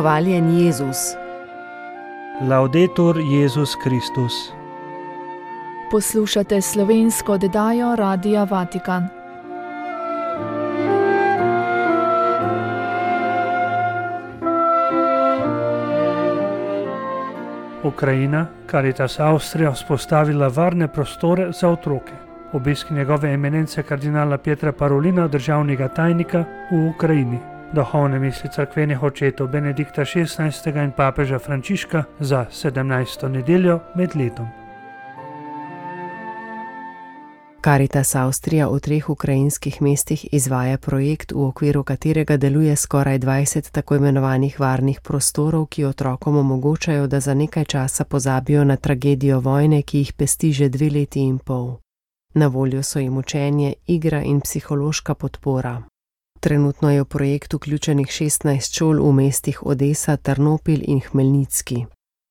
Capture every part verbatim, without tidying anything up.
Hvaljen Jezus. Laudetur Jezus Kristus. Poslušate slovensko oddajo Radia Vatikan. Ukrajina, Caritas Avstrija, vzpostavila varne prostore za otroke. Obisk njegove eminence kardinala Pietra Parolina, državnega tajnika v Ukrajini. Duhovne misli cerkvenih očetov Benedikta šestnajstega in papeža Frančiška za sedemnajsto nedeljo med letom. Caritas Avstrija v treh ukrajinskih mestih izvaja projekt, v okviru katerega deluje skoraj dvajset tako imenovanih varnih prostorov, ki otrokom omogočajo, da za nekaj časa pozabijo na tragedijo vojne, ki jih pesti že dve leti in pol. Na voljo so jim učenje, igra in psihološka podpora. Trenutno je v projekt vključenih šestnajst šol v mestih Odesa, Trnopil in Hmelnicki.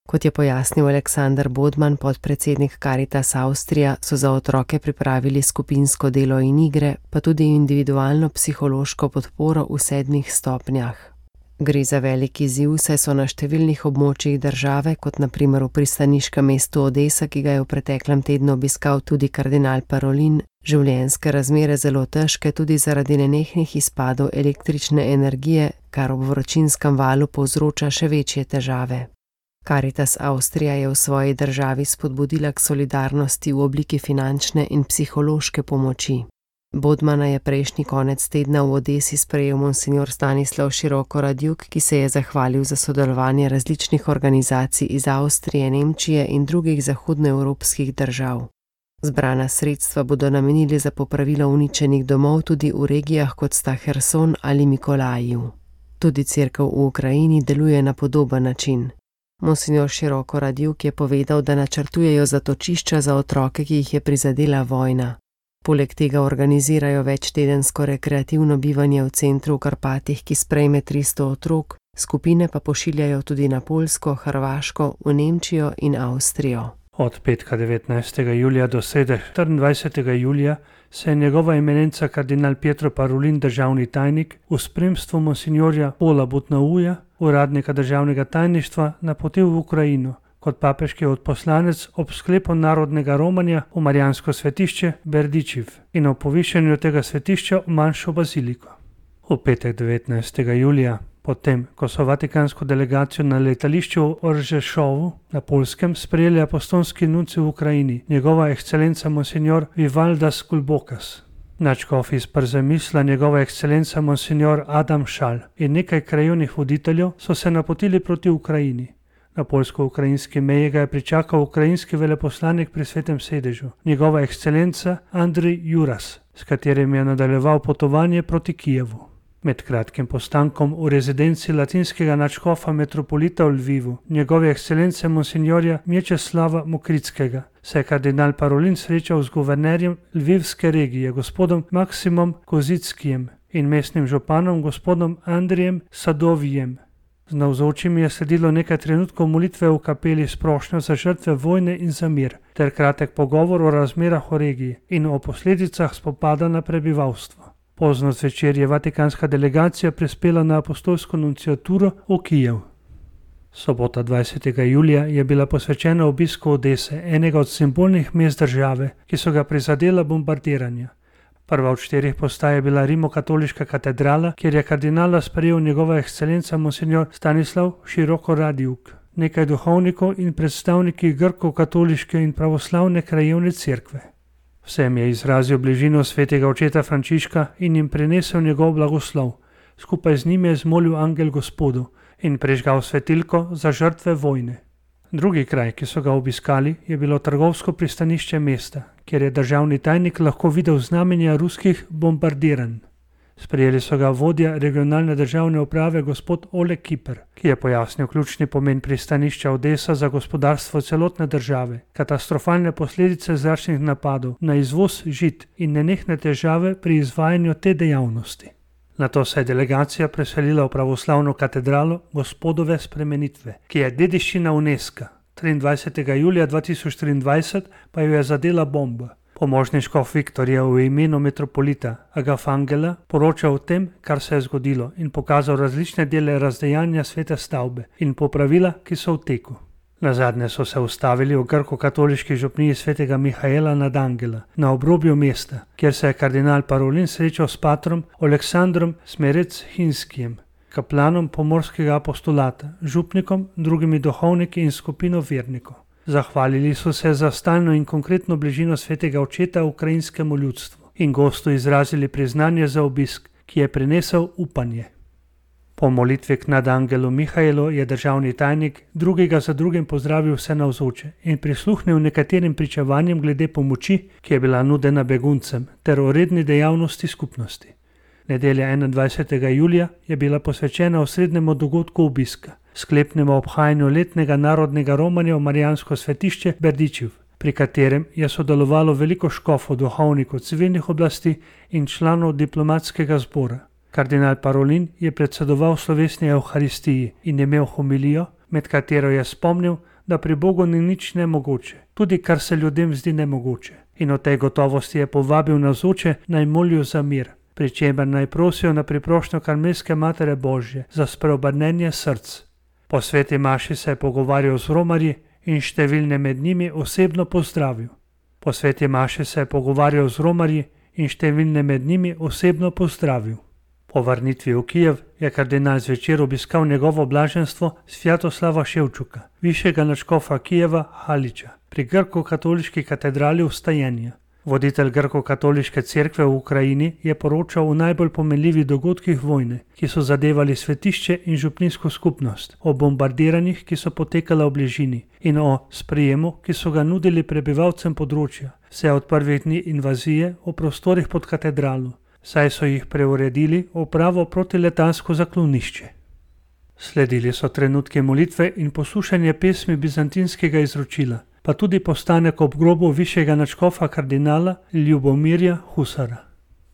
Kot je pojasnil Aleksander Bodman, podpredsednik Caritas Avstrija, so za otroke pripravili skupinsko delo in igre, pa tudi individualno psihološko podporo v sedmih stopnjah. Gre za velik izziv, saj so na številnih območjih države, kot na primer v pristaniškem mestu Odesa, ki ga je v preteklem tednu obiskal tudi kardinal Parolin, življenjske razmere zelo težke tudi zaradi nenehnih izpadov električne energije, kar ob vročinskem valu povzroča še večje težave. Caritas Avstrija je v svoji državi spodbudila k solidarnosti v obliki finančne in psihološke pomoči. Bodmana je prejšnji konec tedna v Odesi sprejel monsignor Stanislav Širokoradjuk, ki se je zahvalil za sodelovanje različnih organizacij iz Avstrije, Nemčije in drugih zahodnoevropskih držav. Zbrana sredstva bodo namenili za popravilo uničenih domov tudi v regijah, kot sta Herson ali Mikolajiv. Tudi cerkev v Ukrajini deluje na podoben način. Monsignor Širokoradjuk je povedal, da načrtujejo zatočišča za otroke, ki jih je prizadela vojna. Poleg tega organizirajo večtedensko rekreativno bivanje v centru v Karpatih, ki sprejme tristo otrok, skupine pa pošiljajo tudi na Poljsko, Hrvaško, v Nemčijo in Avstrijo. Od petka devetnajstega julija do srede štiriindvajsetega julija se je njegova eminenca kardinal Pietro Parolin, državni tajnik, v spremstvu monsignorja Paula Butnauja, uradnika državnega tajništva, napotil v Ukrajino kot papeški odposlanec ob sklepu narodnega romanja v marijansko svetišče Berdičiv in o povišanju tega svetišča v manjšo baziliko. V petek devetnajstega julija, potem ko so vatikansko delegacijo na letališču v Oržešovu na Poljskem sprejeli apostolski nunci v Ukrajini, njegova ekscelenca monsignor Vivaldas Kulbokas. Nadškof iz Przemysla, njegova ekscelenca monsignor Adam Šal in nekaj krajevnih voditeljev so se napotili proti Ukrajini. Na poljsko-ukrajinski meji ga je pričakal ukrajinski veleposlanik pri Svetem sedežu, njegova ekscelenca Andrij Juras, s katerim je nadaljeval potovanje proti Kijevu. Med kratkim postankom v rezidenci latinskega nadškofa metropolita v Lvivu, njegove ekscelence monsignorja Mječeslava Mokrickega, se je kardinal Parolin srečal z guvernerjem lvivske regije, gospodom Maksimom Kozickijem in mestnim županom, gospodom Andrijem Sadovijem. Z navzočimi je sledilo nekaj trenutkov molitve v kapeli s prošnjo za žrtve vojne in za mir, ter kratek pogovor o razmerah v regiji in o posledicah spopada na prebivalstvo. Pozno zvečer je vatikanska delegacija prispela na apostolsko nunciaturo v Kijev. Sobota dvajsetega julija je bila posvečena obisku Odese, enega od simbolnih mest države, ki so ga prizadela bombardiranja. Prva od štirih postaj je bila rimokatoliška katedrala, kjer je kardinala sprejel njegova ekscelenca monsignor Stanislav Širokoradjuk, nekaj duhovnikov in predstavniki grko-katoliške in pravoslavne krajevne cerkve. Vsem je izrazil bližino svetega očeta Frančiška in jim prinesel njegov blagoslov. Skupaj z njim je zmolil angel Gospodu in prižgal svetilko za žrtve vojne. Drugi kraj, ki so ga obiskali, je bilo trgovsko pristanišče mesta, kjer je državni tajnik lahko videl znamenja ruskih bombardiranj. Sprejeli so ga vodja regionalne državne uprave gospod Oleg Kiper, ki je pojasnil ključni pomen pristanišča Odesa za gospodarstvo celotne države, katastrofalne posledice zračnih napadov na izvoz žit in nenehne težave pri izvajanju te dejavnosti. Nato se je delegacija preselila v pravoslavno katedralo Gospodove spremenitve, ki je dediščina UNESCO. triindvajsetega julija dva tisoč triindvajset pa jo je zadela bomba. Pomožni škof Viktor je v imenu metropolita Agafangela poročal o tem, kar se je zgodilo, in pokazal različne dele razdejanja svete stavbe in popravila, ki so v teku. Nazadnje so se ustavili v grko-katoliški župniji svetega Mihaela nad Angela na obrobju mesta, kjer se je kardinal Parolin srečal s patrom Aleksandrom Smerec-Hinskijem, kaplanom pomorskega apostolata, župnikom, drugimi duhovniki in skupino vernikov. Zahvalili so se za stalno in konkretno bližino svetega očeta ukrajinskemu ljudstvu in gostu izrazili priznanje za obisk, ki je prinesel upanje. Po molitvi k nadangelu Mihaelu je državni tajnik drugega za drugim pozdravil vse navzoče in prisluhnil nekaterim pričevanjem glede pomoči, ki je bila nudena beguncem, ter o redni dejavnosti skupnosti. Nedelja enaindvajsetega julija je bila posvečena osrednjemu dogodku obiska, sklepnemu obhajanju letnega narodnega romanja v Marijansko svetišče Berdičev, pri katerem je sodelovalo veliko škofov, duhovnikov, civilnih oblasti in članov diplomatskega zbora. Kardinal Parolin je predsedoval slovesni evharistiji in imel homilijo, med katero je spomnil, da pri Bogu ni nič nemogoče, tudi kar se ljudem zdi nemogoče. In o tej gotovosti je povabil navzoče naj molijo za mir, pri čemer naj prosijo na priprošnjo Karmelske Matere Božje za spreobrnenje src. Po sveti maši se je pogovarjal z romarji in številne med njimi osebno pozdravil. Po sveti maši se je pogovarjal z romarji in številne med njimi osebno pozdravil. Po vrnitvi v Kijev je kardinal zvečer obiskal njegovo blaženstvo Svjatoslava Ševčuka, višjega nadškofa Kijeva Haliča, pri grko-katoliški katedrali Vstajenja. Voditelj grko-katoliške cerkve v Ukrajini je poročal o najbolj pomenljivih dogodkih vojne, ki so zadevali svetišče in župnijsko skupnost, o bombardiranjih, ki so potekala v bližini, in o sprejemu, ki so ga nudili prebivalcem področja, vse od prvih dni invazije o prostorih pod katedralo, saj so jih preuredili v pravo protiletalsko zaklonišče. Sledili so trenutki molitve in poslušanje pesmi bizantinskega izročila, pa tudi postanek ob grobu višjega nadškofa kardinala Ljubomirja Husara.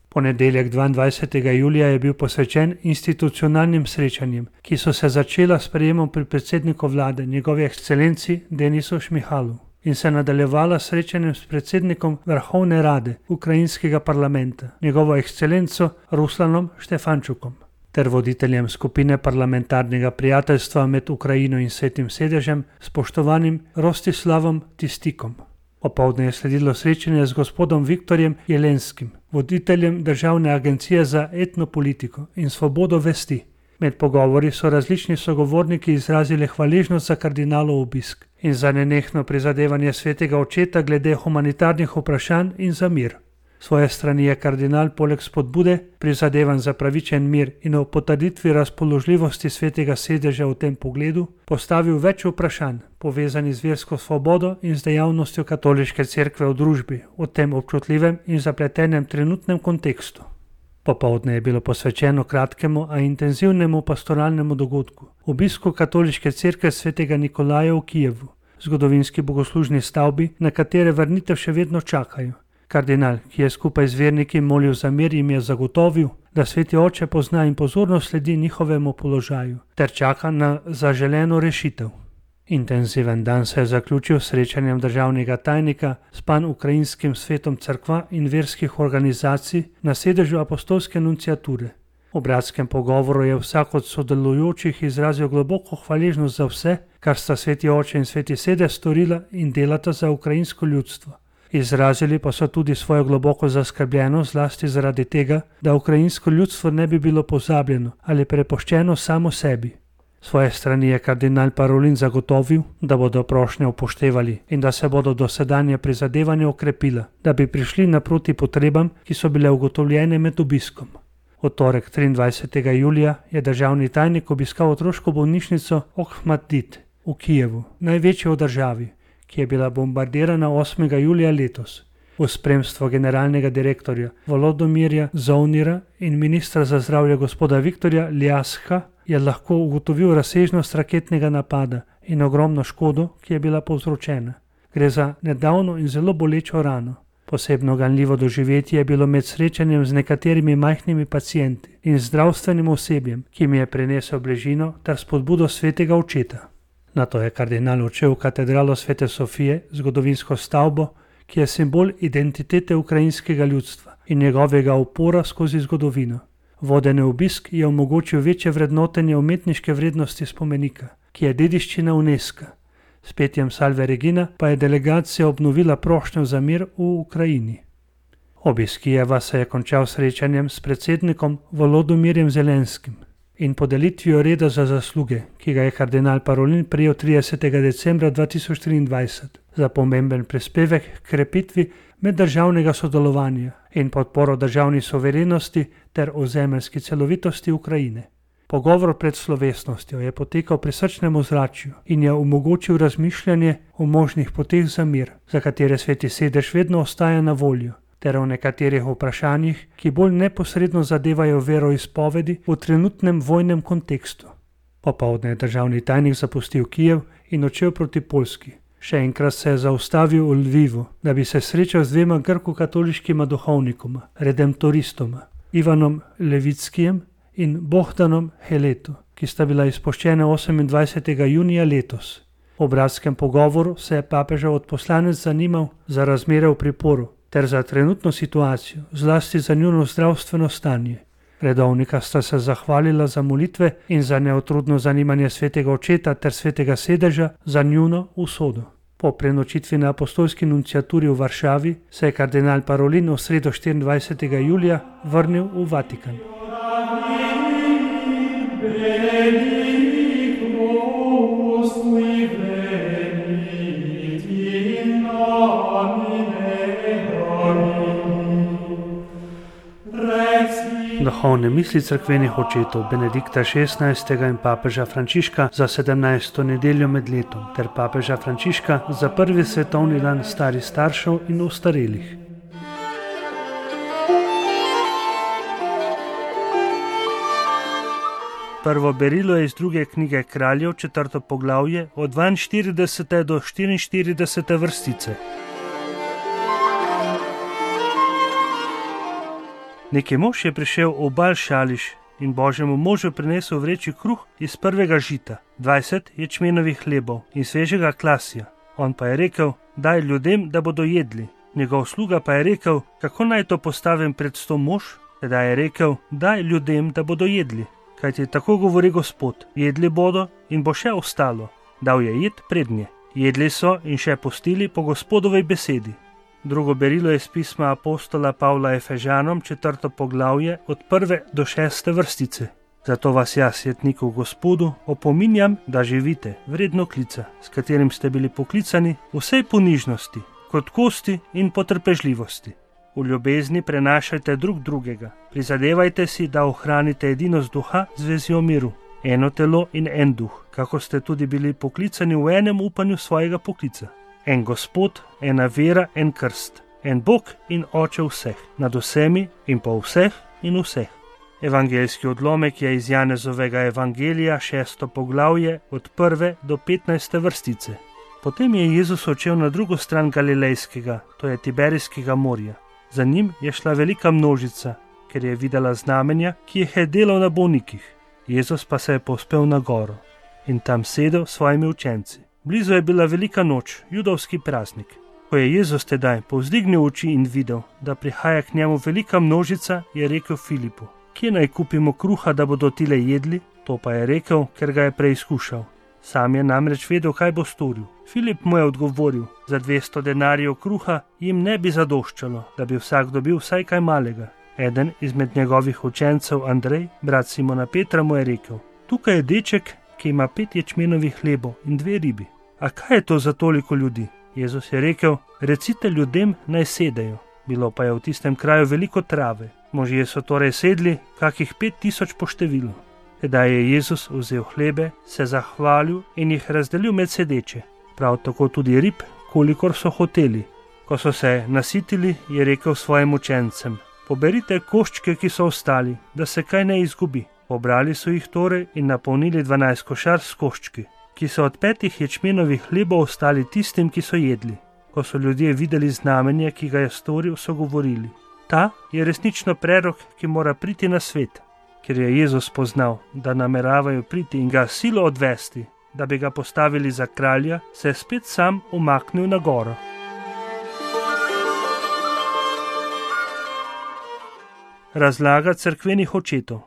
Ponedeljek dvaindvajsetega julija je bil posvečen institucionalnim srečanjem, ki so se začela s sprejemom pri predsedniku vlade, njegovi ekscelenci Denisu Šmihalu, in se nadaljevala s srečanjem s predsednikom Vrhovne rade ukrajinskega parlamenta, njegovo ekscelenco Ruslanom Štefančukom, ter voditeljem skupine parlamentarnega prijateljstva med Ukrajino in Svetim sedežem, spoštovanim Rostislavom Tistikom. Popoldne je sledilo srečanje z gospodom Viktorjem Jelenskim, voditeljem Državne agencije za etnopolitiko in svobodo vesti. Med pogovori so različni sogovorniki izrazili hvaležnost za kardinalov obisk in za nenehno prizadevanje svetega očeta glede humanitarnih vprašanj in za mir. Svoje strani je kardinal poleg spodbude, prizadevanj za pravičen mir in o potrditvi razpoložljivosti svetega sedeža v tem pogledu, postavil več vprašanj, povezanih z versko svobodo in z dejavnostjo katoliške cerkve v družbi, v tem občutljivem in zapletenem trenutnem kontekstu. Popoldne je bilo posvečeno kratkemu, a intenzivnemu pastoralnemu dogodku, obisku katoliške cerkve svetega Nikolaja v Kijevu, zgodovinski bogoslužni stavbi, na katere vrnitev še vedno čakajo. Kardinal, ki je skupaj z verniki molil za mir, jim je zagotovil, da sveti oče pozna in pozorno sledi njihovemu položaju ter čaka na zaželeno rešitev. Intenziven dan se je zaključil s srečanjem državnega tajnika s pan-ukrajinskim svetom cerkva in verskih organizacij na sedežu apostolske nunciature. V bratskem pogovoru je vsak od sodelujočih izrazil globoko hvaležnost za vse, kar sta sveti oče in sveti sedež storila in delata za ukrajinsko ljudstvo. Izrazili pa so tudi svojo globoko zaskrbljenost zlasti zaradi tega, da ukrajinsko ljudstvo ne bi bilo pozabljeno ali prepuščeno samo sebi. Svoje strani je kardinal Parolin zagotovil, da bodo prošnje upoštevali in da se bodo dosedanje prizadevanja okrepila, da bi prišli naproti potrebam, ki so bile ugotovljene med obiskom. V torek triindvajsetega julija je državni tajnik obiskal otroško bolnišnico Okhmatdit v Kijevu, največjo v državi, ki je bila bombardirana osmega julija letos. V spremstvu generalnega direktorja Volodomirja Zovnira in ministra za zdravje gospoda Viktorja Ljasha je lahko ugotovil razsežnost raketnega napada in ogromno škodo, ki je bila povzročena. Gre za nedavno in zelo bolečo rano. Posebno ganljivo doživetje je bilo med srečanjem z nekaterimi majhnimi pacienti in zdravstvenim osebjem, ki mi je prinesel bližino ter spodbudo svetega očeta. Nato je kardinal odšel v katedralo Svete Sofije, zgodovinsko stavbo, ki je simbol identitete ukrajinskega ljudstva in njegovega upora skozi zgodovino. Vodeni obisk je omogočil večje vrednotenje umetniške vrednosti spomenika, ki je dediščina UNESCO. S petjem Salve Regina pa je delegacija obnovila prošnjo za mir v Ukrajini. Obisk Kijeva se je končal srečanjem s predsednikom Volodomirjem Zelenskim in podelitvijo reda za zasluge, ki ga je kardinal Parolin prejel tridesetega decembra dva tisoč triindvajset za pomemben prispevek k krepitvi meddržavnega sodelovanja in podporo državni suverenosti ter ozemeljski celovitosti Ukrajine. Pogovor pred slovesnostjo je potekal pri srčnem ozračju in je omogočil razmišljanje o možnih poteh za mir, za katere Sveti sedež vedno ostaja na voljo, ter o nekaterih vprašanjih, ki bolj neposredno zadevajo veroizpovedi v trenutnem vojnem kontekstu. Popoldne je državni tajnik zapustil Kijev in odšel proti Poljski. Še enkrat se je zaustavil v Lvivu, da bi se srečal z dvema grko-katoliškima duhovnikoma, redemptoristoma, Ivanom Levickijem in Bohdanom Heleto, ki sta bila izpuščena osemindvajsetega junija letos. V bratskem pogovoru se je papežev odposlanec zanimal za razmere v priporu ter za trenutno situacijo, zlasti za njuno zdravstveno stanje. Redovnika sta se zahvalila za molitve in za neutrudno zanimanje svetega očeta ter svetega sedeža za njuno usodo. Po prenočitvi na apostolski nunciaturi v Varšavi se je kardinal Parolin v sredo štiriindvajsetega julija vrnil v Vatikan. Duhovne misli cerkvenih očetov Benedikta šestnajstega in papeža Frančiška za sedemnajsto nedeljo med letom ter papeža Frančiška za prvi svetovni dan starih staršev in ostarelih. Prvo berilo je iz druge knjige Kraljev, četrto poglavje, od dvainštiridesete do štiriinštiridesete vrstice. Neki mož je prišel v Bal Šališ in Božjemu možu prinesel vreči kruh iz prvega žita, dvajset ječmenovih hlebov in svežega klasja. On pa je rekel, daj ljudem, da bodo jedli. Njegov sluga pa je rekel, kako naj to postavim pred sto mož? Tedaj je rekel, daj ljudem, da bodo jedli. Kajti tako govori Gospod, jedli bodo in bo še ostalo. Dal je jed prednje. Jedli so in še postili po Gospodovi besedi. Drugo berilo je iz pisma apostola Pavla Efežanom, četrto poglavje, od prve do šeste vrstice. Zato vas jaz, jetniku Gospodu, opominjam, da živite vredno klica, s katerim ste bili poklicani v vsej ponižnosti, krotkosti in potrpežljivosti. V ljubezni prenašajte drug drugega, prizadevajte si, da ohranite edinost duha z vezijo miru, eno telo in en duh, kako ste tudi bili poklicani v enem upanju svojega poklica. En Gospod, ena vera, en krst, en Bog in Oče vseh, nad vsemi in po vseh in vseh. Evangeljski odlomek je iz Janezovega evangelija, šesto poglavje, od prve do petnajste vrstice. Potem je Jezus odšel na drugo stran Galilejskega, to je Tiberijskega morja. Za njim je šla velika množica, ker je videla znamenja, ki jih je delal na bolnikih. Jezus pa se je povzpel na goro in tam sedel s svojimi učenci. Blizu je bila velika noč, judovski praznik. Ko je Jezus tedaj povzdignil oči in videl, da prihaja k njemu velika množica, je rekel Filipu, kje naj kupimo kruha, da bodo tile jedli? To pa je rekel, ker ga je preizkušal. Sam je namreč vedel, kaj bo storil. Filip mu je odgovoril, za dvesto denarjev kruha jim ne bi zadoščalo, da bi vsak dobil vsaj kaj malega. Eden izmed njegovih učencev, Andrej, brat Simona Petra, mu je rekel, tukaj je deček, ki ima pet ječmenovih hlebov in dve ribi. A kaj je to za toliko ljudi? Jezus je rekel, recite ljudem, naj sedejo. Bilo pa je v tistem kraju veliko trave. Možje so torej sedli, kakih pet tisoč po številu. Tedaj je Jezus vzel hlebe, se zahvalil in jih razdelil med sedeče. Prav tako tudi rib, kolikor so hoteli. Ko so se nasitili, je rekel svojim učencem, poberite koščke, ki so ostali, da se kaj ne izgubi. Pobrali so jih torej in napolnili dvanajst košar s koščki, ki so od petih ječmenovih hlebov ostali tistim, ki so jedli. Ko so ljudje videli znamenje, ki ga je storil, so govorili, ta je resnično prerok, ki mora priti na svet. Ker je Jezus poznal, da nameravajo priti in ga silo odvesti, da bi ga postavili za kralja, se je spet sam umaknil na goro. Razlaga cerkvenih očetov.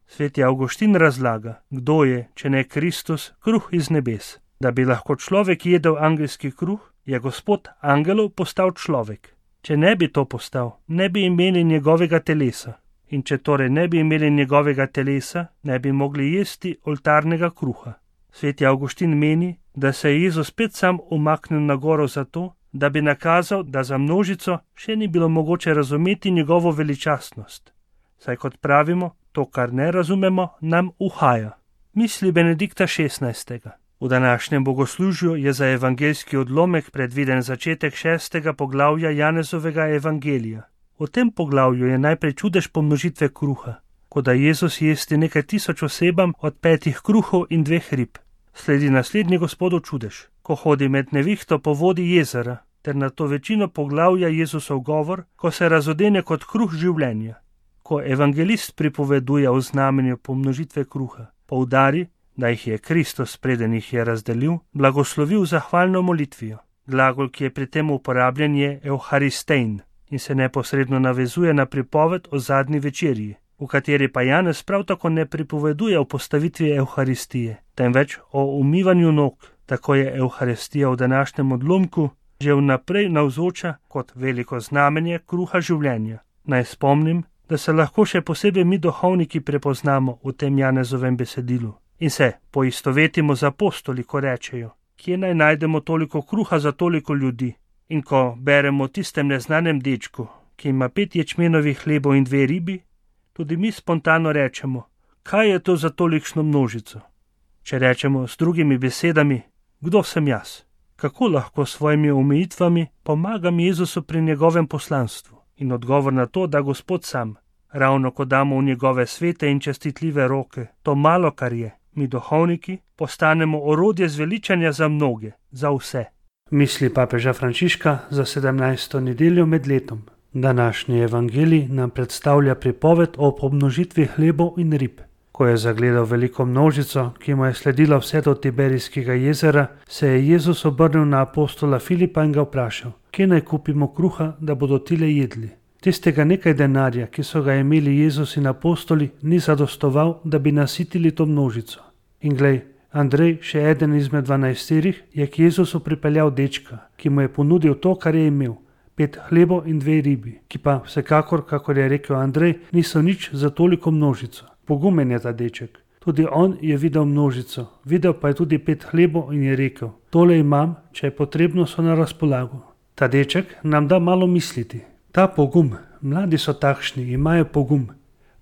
Sveti Avguštin razlaga, kdo je, če ne Kristus, kruh iz nebes. Da bi lahko človek jedel angelski kruh, je Gospod angelov postal človek. Če ne bi to postal, ne bi imeli njegovega telesa. In če torej ne bi imeli njegovega telesa, ne bi mogli jesti oltarnega kruha. Sveti Avguštin meni, da se je Jezus spet sam umaknil na goro zato, da bi nakazal, da za množico še ni bilo mogoče razumeti njegovo veličastnost. Saj kot pravimo, to, kar ne razumemo, nam uhaja. Misli Benedikta šestnajstega. V današnjem bogoslužju je za evangeljski odlomek predviden začetek šestega poglavja Janezovega evangelija. V tem poglavju je najprej čudež pomnožitve kruha, ko da Jezus jesti nekaj tisoč osebam od petih kruhov in dveh rib. Sledi naslednji Gospodov čudež, ko hodi med nevihto po vodi jezera, ter na to večino poglavja Jezusov govor, ko se razodene kot kruh življenja. Ko evangelist pripoveduje o znamenju pomnožitve kruha, poudari, da jih je Kristus, preden jih je razdelil, blagoslovil zahvalno molitvijo. Glagol, ki je pri tem uporabljen, je euharistein in se neposredno navezuje na pripoved o zadnji večerji, v kateri pa Janez prav tako ne pripoveduje o postavitvi euharistije, temveč o umivanju nog. Tako je euharistija v današnjem odlomku že vnaprej navzoča kot veliko znamenje kruha življenja. Naj spomnim, da se lahko še posebej mi duhovniki prepoznamo v tem Janezovem besedilu in se poistovetimo z apostoli, ko rečejo, kje naj najdemo toliko kruha za toliko ljudi. In ko beremo o tistem neznanem dečku, ki ima pet ječmenovih hlebov in dve ribi, tudi mi spontano rečemo, kaj je to za tolikšno množico. Če rečemo s drugimi besedami, kdo sem jaz? Kako lahko s svojimi omejitvami pomagam Jezusu pri njegovem poslanstvu? In odgovor na to, da Gospod sam, ravno ko damo v njegove svete in čestitljive roke, to malo, kar je, mi duhovniki postanemo orodje zveličanja za mnoge, za vse. Misli papeža Frančiška za sedemnajsto nedeljo med letom. Današnji evangelij nam predstavlja pripoved o pomnožitvi hlebov in rib. Ko je zagledal veliko množico, ki mu je sledila vse do Tiberijskega jezera, se je Jezus obrnil na apostola Filipa in ga vprašal, kje naj kupimo kruha, da bodo tile jedli. Tistega nekaj denarja, ki so ga imeli Jezus in apostoli, ni zadostoval, da bi nasitili to množico. In glej, Andrej, še eden izmed dvanajsterih, je k Jezusu pripeljal dečka, ki mu je ponudil to, kar je imel, pet hlebov in dve ribi, ki pa vsekakor, kakor je rekel Andrej, niso nič za toliko množico. Pogumen je ta deček. Tudi on je videl množico, videl pa je tudi pet hlebov in je rekel, tole imam, če je potrebno, so na razpolago. Ta deček nam da malo misliti. Ta pogum, mladi so takšni, imajo pogum.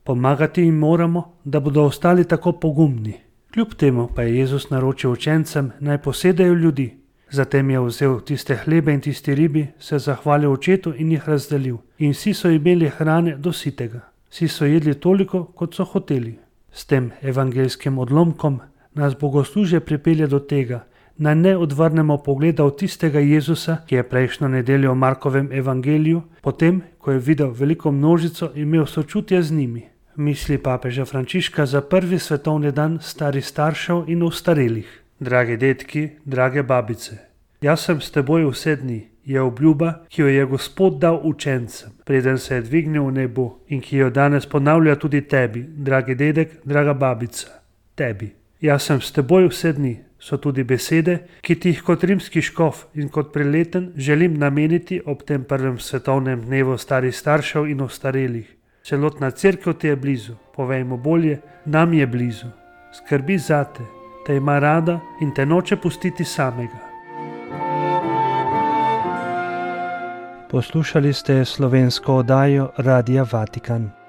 Pomagati jim moramo, da bodo ostali tako pogumni. Kljub temu pa je Jezus naročil učencem, naj posedajo ljudi. Zatem je vzel tiste hlebe in tisti ribi, se zahvalil očetu in jih razdelil. In vsi so imeli hrane do sitega. Vsi so jedli toliko, kot so hoteli. S tem evangelskim odlomkom nas bogoslužje pripelje do tega, naj ne odvrnemo pogleda od tistega Jezusa, ki je prejšnjo nedeljo v Markovem evangeliju, potem, ko je videl veliko množico, imel sočutje z njimi. Misli papeža Frančiška za prvi svetovni dan starih staršev in ostarelih. Dragi dedki, drage babice, jaz sem s teboj vse dni, je obljuba, ki jo je Gospod dal učencem, preden se je dvignil v nebo in ki jo danes ponavlja tudi tebi, dragi dedek, draga babica, tebi. Jaz sem s teboj vse dni, so tudi besede, ki ti jih kot rimski škof in kot preleten želim nameniti ob tem prvem svetovnem dnevu starih staršev in ostarelih. Celotna cerkev ti je blizu, povejmo bolje, nam je blizu. Skrbi zate, te ima rada in te noče pustiti samega. Poslušali ste slovensko oddajo Radia Vatikan.